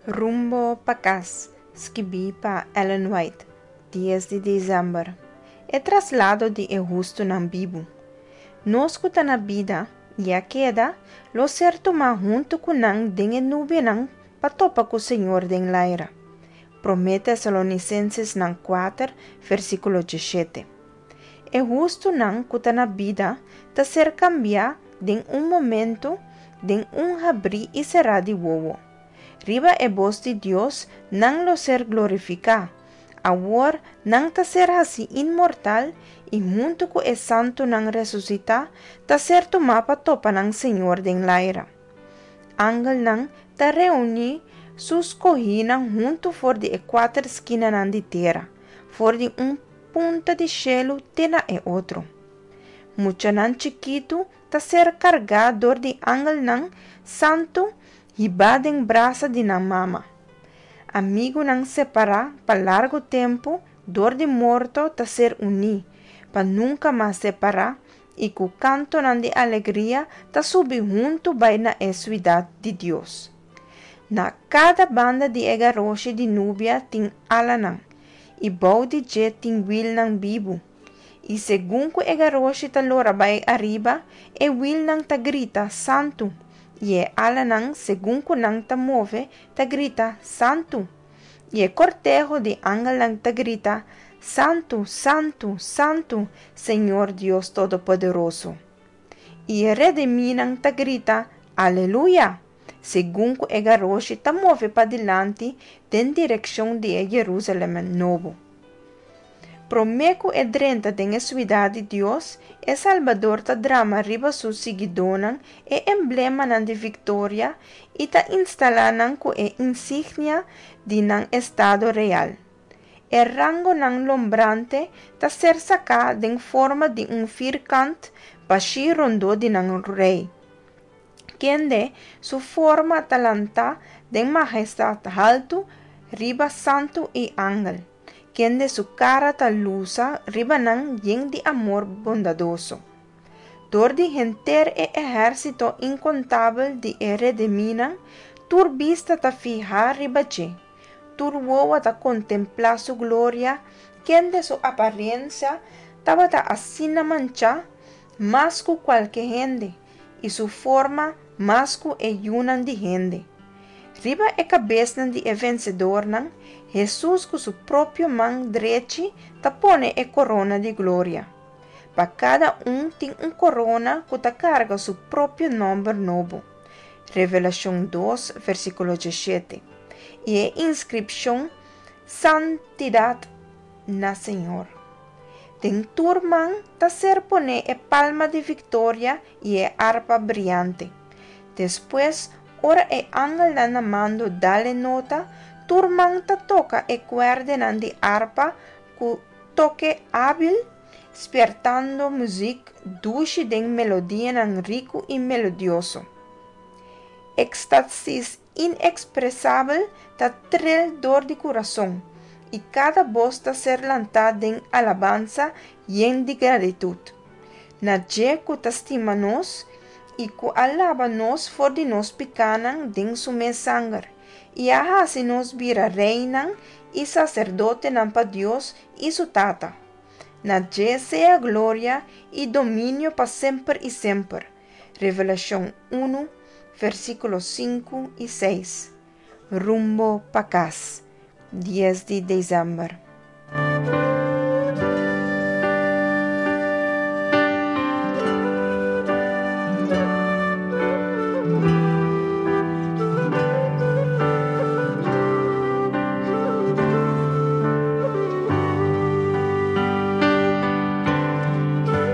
Rumbo pa kas, skibí pa Ellen White, dies di desèmber. E traslado di e hustunan bibu. Nos ku ta na bida i a keda, lo ser tumá huntu ku nan den e nubianan pa topa ku Señor den laira. Promé Tesalonisenses-nan kuater, versíkulo diesshete. E hustunan ku ta na bida ta ser kambiá den un momentu, den un habrí i será di wowo. Riba e bos di Dios nan lo ser glorifiká. Awor nan ta ser hasí inmortal i huntu ku e santunan resusitá ta ser tumá pa topa nan Señor den laira. Angelnan ta reuní su skohínan huntu for di e kuater skinanan di tera, for di un punta di shelu te na e otro. Muchanan chikitu ta ser kargá dor di angelnan santu hibá den brasa di nan mama. Amigunan separá pa largu tempu dor di morto ta ser uní, pa nunka mas separá i ku kantonan di alegria ta subi huntu bai na e suidat di Dios. Na kada banda di e garoshi di nubia tin alanan, i bou di dje tin wilnan bibu. I segun ku e garoshi ta lora bai ariba, e wilnan ta grita, Santu! I e alanan, segun ku nan ta move, ta grita, Santu! I e korteho di angelnan ta grita, Santu, santu, santu, Señor Dios Todopoderoso! I e redimínan ta grita, Aleluya! Segun ku e garoshi ta move padilanti den direkshon di e Jerusalèm Nobo. Promé ku e drenta den e suidat di Dios, e Salbador ta drama riba su siguidónan e emblemanan di viktoria i ta instalá nan ku e insignia di nan estado real. E rangonan lombrante ta ser saká den forma di un firkant bashí rondó di nan Rei, kende su forma ta lantá den mahestat haltu riba santu i angel. Kende su kara ta lusa riba nan yen di amor bondadoso. Dor di henter e ehérsito inkontabel di e redimínan, tur bista ta fihá riba dje, tur wowo ta kontemplá su gloria, kende su aparensia tabata asina manchá mas ku kualke hende, i su forma mas ku e yunan di hende. Riba e kabesnan di e vensedornan, Hesus ku su propio man drechi ta pone e korona di gloria. Pa kada un tin un korona ku ta karga su propio nòmber nobo. Revelashon dos, versíkulo diesshete, i e inskripshon Santidat na Señor. Den tur man ta ser poné e palma di viktoria i e arpa briante. Despues, ora e angelnan na mando dal e nota, tur man ta toka e kuèrdenan di arpa ku toke ábil, spiertando muzik dushi den melodianan riku i melodioso. Ekstasis inekspresabel ta trel dor di kurason, i kada bos ta ser lantá den alabansa yen di gratitut. Na dje ku ta stima nos i ku a laba nos for di nos pikánan den su mes sanger, i a hasi nos bira reinan i saserdotenan pa Dios i su Tata. Na dje sea gloria i dominio pa semper i semper. Revelashon unu, versíkulo sinku i seis. Rumbo pa kas, dies di desèmber.